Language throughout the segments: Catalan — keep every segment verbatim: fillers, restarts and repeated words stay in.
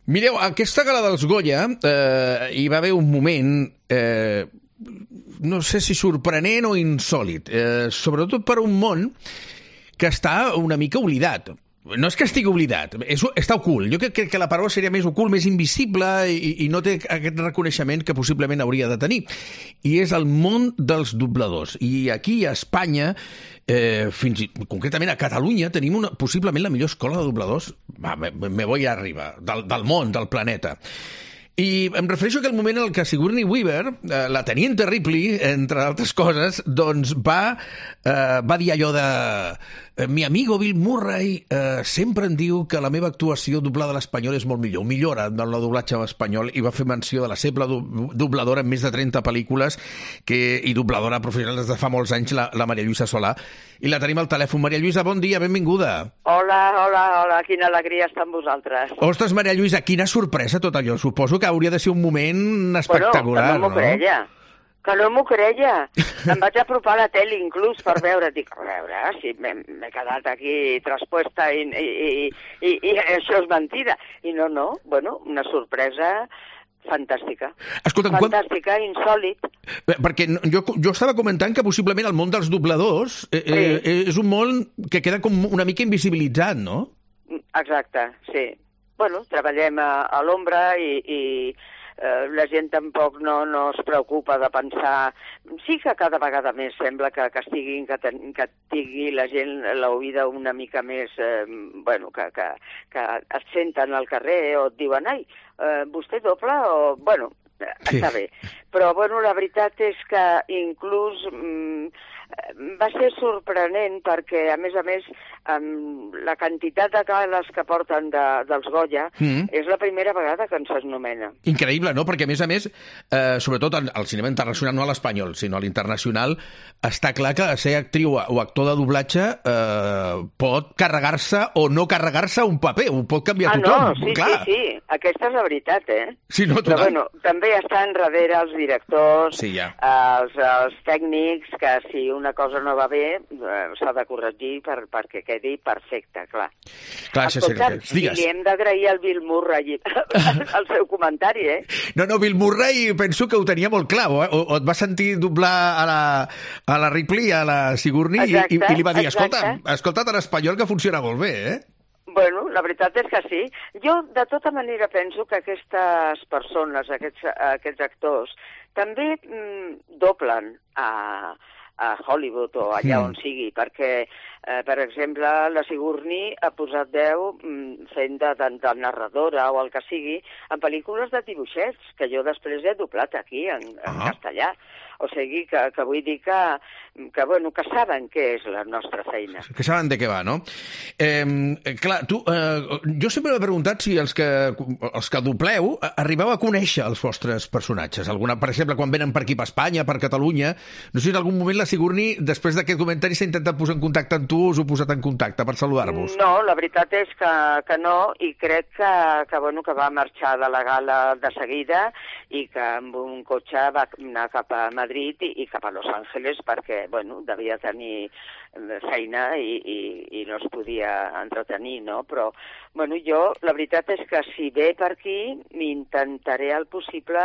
Mireu, aquesta gala dels Goya eh, hi va haver un moment, eh, no sé si sorprenent o insòlit, eh, sobretot per un món que està una mica oblidat. No és que estigui oblidat, és, està ocult. Jo crec que la paraula seria més ocult, més invisible i, i no té aquest reconeixement que possiblement hauria de tenir. I és el món dels dobladors. I aquí a Espanya, eh, fins i, concretament a Catalunya, tenim una, possiblement la millor escola de dobladors, va, me, me voy arriba, del, del món, del planeta. I em refereixo a aquell moment en el que Sigourney Weaver, eh, la teniente Ripley, entre altres coses, doncs va, eh, va dir allò de... Mi amigo Bill Murray eh, sempre em diu que la meva actuació doblada a l'espanyol és molt millor, millora en el doblatge en espanyol, i va fer menció de la seva dobladora en més de trenta pel·lícules que, i dobladora professional des de fa molts anys, la, la Maria Lluïsa Solà. I la tenim al telèfon. Maria Lluïsa, bon dia, benvinguda. Hola, hola, hola, quina alegria estar amb vosaltres. Ostres, Maria Lluïsa, quina sorpresa tot allò. Suposo que hauria de ser un moment espectacular, bueno, que no m'ho no? creia. Que no m'ho creia. Em vaig apropar a la tele inclús per veure. Dic, a veure, si m'he quedat aquí traspuesta i, i, i, i, i això és mentida. I no, no, bueno, una sorpresa fantàstica. Escolta'm, fantàstica, quan... insòlit. Perquè jo, jo estava comentant que possiblement el món dels dobladors eh, sí. eh, és un món que queda com una mica invisibilitzat, no? Exacte, sí. Bueno, treballem a, a l'ombra i... i... Uh, la gent tampoc no, no es preocupa de pensar... Sí que cada vegada més sembla que, que, estiguin, que, ten, que tingui la gent l'oïda una mica més... Eh, bueno, que, que, que et senten al carrer o et diuen ai, eh, vostè dobla o... Bueno, sí. Està bé. Però, bueno, la veritat és que inclús... Mm, va ser sorprenent perquè, a més a més, amb la quantitat de gales que porten de, dels Goya, mm. és la primera vegada que ens s'anomena. Increïble, no? Perquè, a més a més, eh, sobretot al cinema internacional, no a l'espanyol, sinó a l'internacional, està clar que ser actriu o actor de doblatge eh, pot carregar-se o no carregar-se un paper, ho pot canviar ah, tothom. Ah, no, sí, clar. sí, sí, aquesta és la veritat, eh? Sí, no, però, bueno, també estan darrere els directors, sí, ja. els, els tècnics, que si una cosa no va bé, eh, s'ha de corregir per, perquè quedi perfecte, clar. Clar, Escolta, sí, li hem d'agrair al Bill Murray el seu comentari, eh? No, no, Bill Murray penso que ho tenia molt clar, eh? o, o et va sentir doblar a la, a la Ripley, a la Sigourney, exacte, i, i li va dir, escolta, escolta't en espanyol que funciona molt bé, eh? Bueno, la veritat és que sí. Jo, de tota manera, penso que aquestes persones, aquests, aquests actors, també mm, doblen a, a Hollywood o allà mm. on sigui, perquè, eh, per exemple, la Sigourney ha posat veu mm, fent de, de, de narradora o el que sigui en pel·lícules de dibuixets, que jo després he doblat aquí, en, en uh-huh. castellà. O sigui que, que vull dir que, que, bueno, que saben què és la nostra feina. Que saben de què va, no? Eh, clar, tu, eh, jo sempre m'he preguntat si els que, els que dobleu arribeu a conèixer els vostres personatges. Alguna, per exemple, quan venen per aquí, per Espanya, per Catalunya, no sé si en algun moment la Sigourney, després d'aquest comentari, s'ha intentat posar en contacte amb tu o us heu posat en contacte per saludar-vos? No, la veritat és que, que no, i crec que, que, bueno, que va marxar de la gala de seguida i que amb un cotxe va anar cap a Madrid Madrid i, i cap a Los Angeles perquè, bueno, devia tenir feina i, i, i no es podia entretenir, no? Però, bueno, jo, la veritat és que si ve per aquí, m'intentaré el possible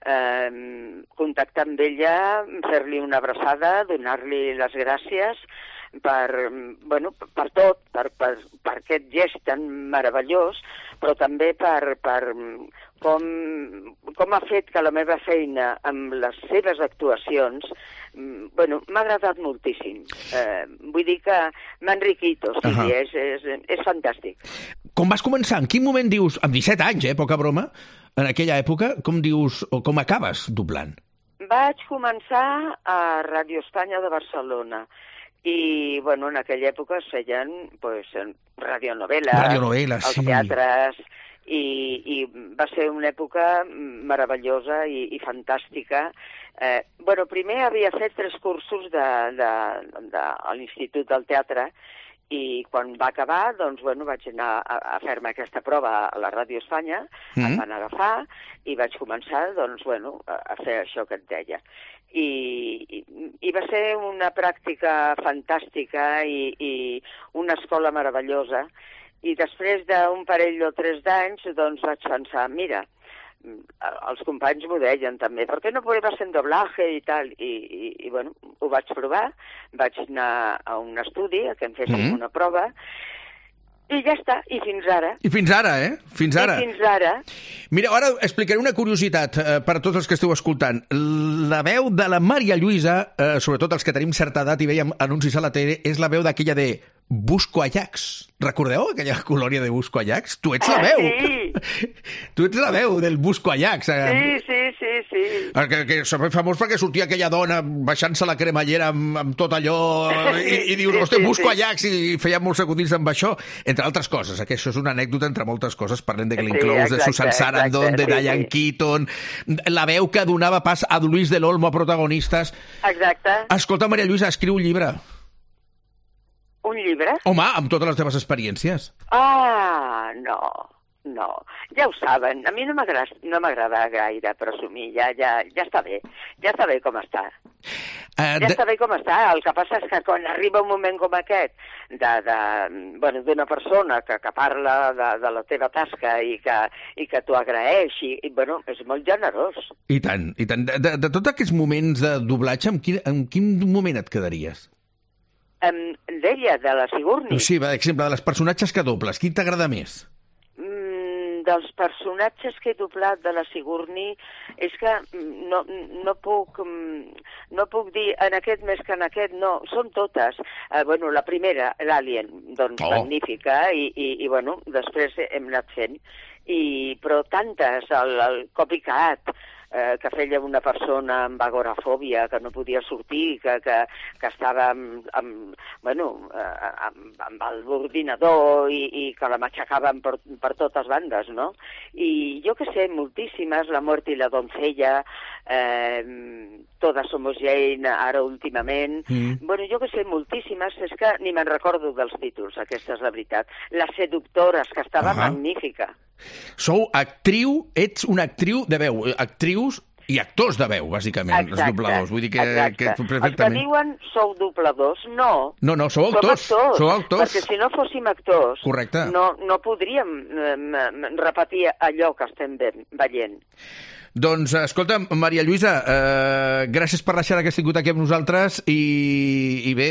eh, contactar amb ella, fer-li una abraçada, donar-li les gràcies per, bueno, per tot, per, per, per aquest gest tan meravellós, però també per, per com, com ha fet que la meva feina amb les seves actuacions, bueno, m'ha agradat moltíssim. Eh, vull dir que m'ha enriquit, o sigui, uh-huh. és, és, és fantàstic. Com vas començar? En quin moment dius, amb disset anys, eh, poca broma, en aquella època, com dius, o com acabes doblant? Vaig començar a Ràdio Espanya de Barcelona. I, bueno, en aquella època es feien, pues, radionovel·les, radionovel·les els sí. teatres, i, i va ser una època meravellosa i, i fantàstica. Eh, bueno, primer havia fet tres cursos de, de, de, a l'Institut del Teatre, i quan va acabar, doncs, bueno, vaig anar a, a fer-me aquesta prova a la Ràdio Espanya, mm. em van agafar i vaig començar, doncs, bueno, a, a fer això que et deia. I, i, i va ser una pràctica fantàstica i, i una escola meravellosa, i després d'un parell o tres d'anys, doncs vaig pensar, mira, els companys m'ho deien també, per què no pruebes en doblaje i tal? I, i, i bueno, ho vaig provar, vaig anar a un estudi, que em fessin mm-hmm. una prova, i ja està, i fins ara. I fins ara, eh? Fins ara. I fins ara. Mira, ara explicaré una curiositat eh, per a tots els que esteu escoltant. La veu de la Maria Lluïsa, eh, sobretot els que tenim certa edat i veiem anuncis a la tele, és la veu d'aquella de Busco Ajax. Recordeu aquella colònia de Busco Ajax? Tu ets la veu. Ah, sí. Tu ets la veu del Busco Ajax. Sí, sí, sí, sí. Que, que és famós perquè sortia aquella dona baixant-se la cremallera amb, amb tot allò i, i dius, sí, hosti, sí, Busco sí. Ajax, i feia molts acudits amb això, entre altres coses, que això és una anècdota entre moltes coses. Parlem de Glenn Sí, Close, de exacte, Susan Sarandon, exacte, de sí, Diane sí. Keaton, la veu que donava pas a Luis del Olmo a protagonistes. Exacte. Escolta, Maria Lluïsa, escriu un llibre. Un llibre? Home, amb totes les teves experiències. Ah, no, no. Ja ho saben, a mi no m'agrada no m'agrada gaire presumir, ja, ja, ja està bé, ja està bé com està. Uh, Ja de... està bé com està, el que passa és que quan arriba un moment com aquest de, de, bueno, d'una persona que, que parla de, de la teva tasca i que, i que t'ho agraeix, i, i bueno, és molt generós. I tant, i tant. De, de, de tots aquests moments de doblatge, en quin, en quin moment et quedaries? Um, D'ella, de la Sigourney. Sí, per exemple, de les personatges que dobles, quin t'agrada més? Mm, dels personatges que he doblat de la Sigourney és que no, no, puc, no puc dir en aquest més que en aquest, no, són totes. Uh, bueno, la primera, l'Alien, doncs oh. magnífica, i, i, i bueno, després hem anat fent. I, però tantes, el, el Copycat, eh, que feia una persona amb agorafòbia, que no podia sortir, que, que, que estava amb, amb, bueno, eh, amb, amb l'ordinador i, i que la matxacaven per, per totes bandes, no? I jo que sé, moltíssimes, La muerte i la doncella, eh, Todas somos Jane, ara últimament, mm. bueno, jo que sé, moltíssimes, és que ni me'n recordo dels títols, aquesta és la veritat. Les seductores, que estava uh-huh. magnífica. Sou actriu, ets una actriu de veu, actrius i actors de veu, bàsicament, exacte, els dobladors. Vull dir que, que perfectament... Els que diuen sou dobladors, no. No, no, sou actors. actors, sou actors. Perquè si no fóssim actors, correcte, no, no podríem eh, repetir allò que estem veient. Doncs, escolta, Maria Lluïsa, eh, gràcies per deixar que has tingut aquí amb nosaltres i, i bé,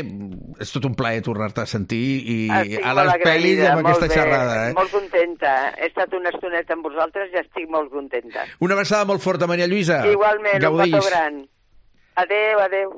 és tot un plaer tornar-te a sentir i estic a les pel·lis amb aquesta bé, xerrada. Eh? Molt contenta. He estat una estoneta amb vosaltres i estic molt contenta. Una abraçada molt forta, Maria Lluïsa. Igualment, Gaudeix. un petó gran. Adéu, adéu.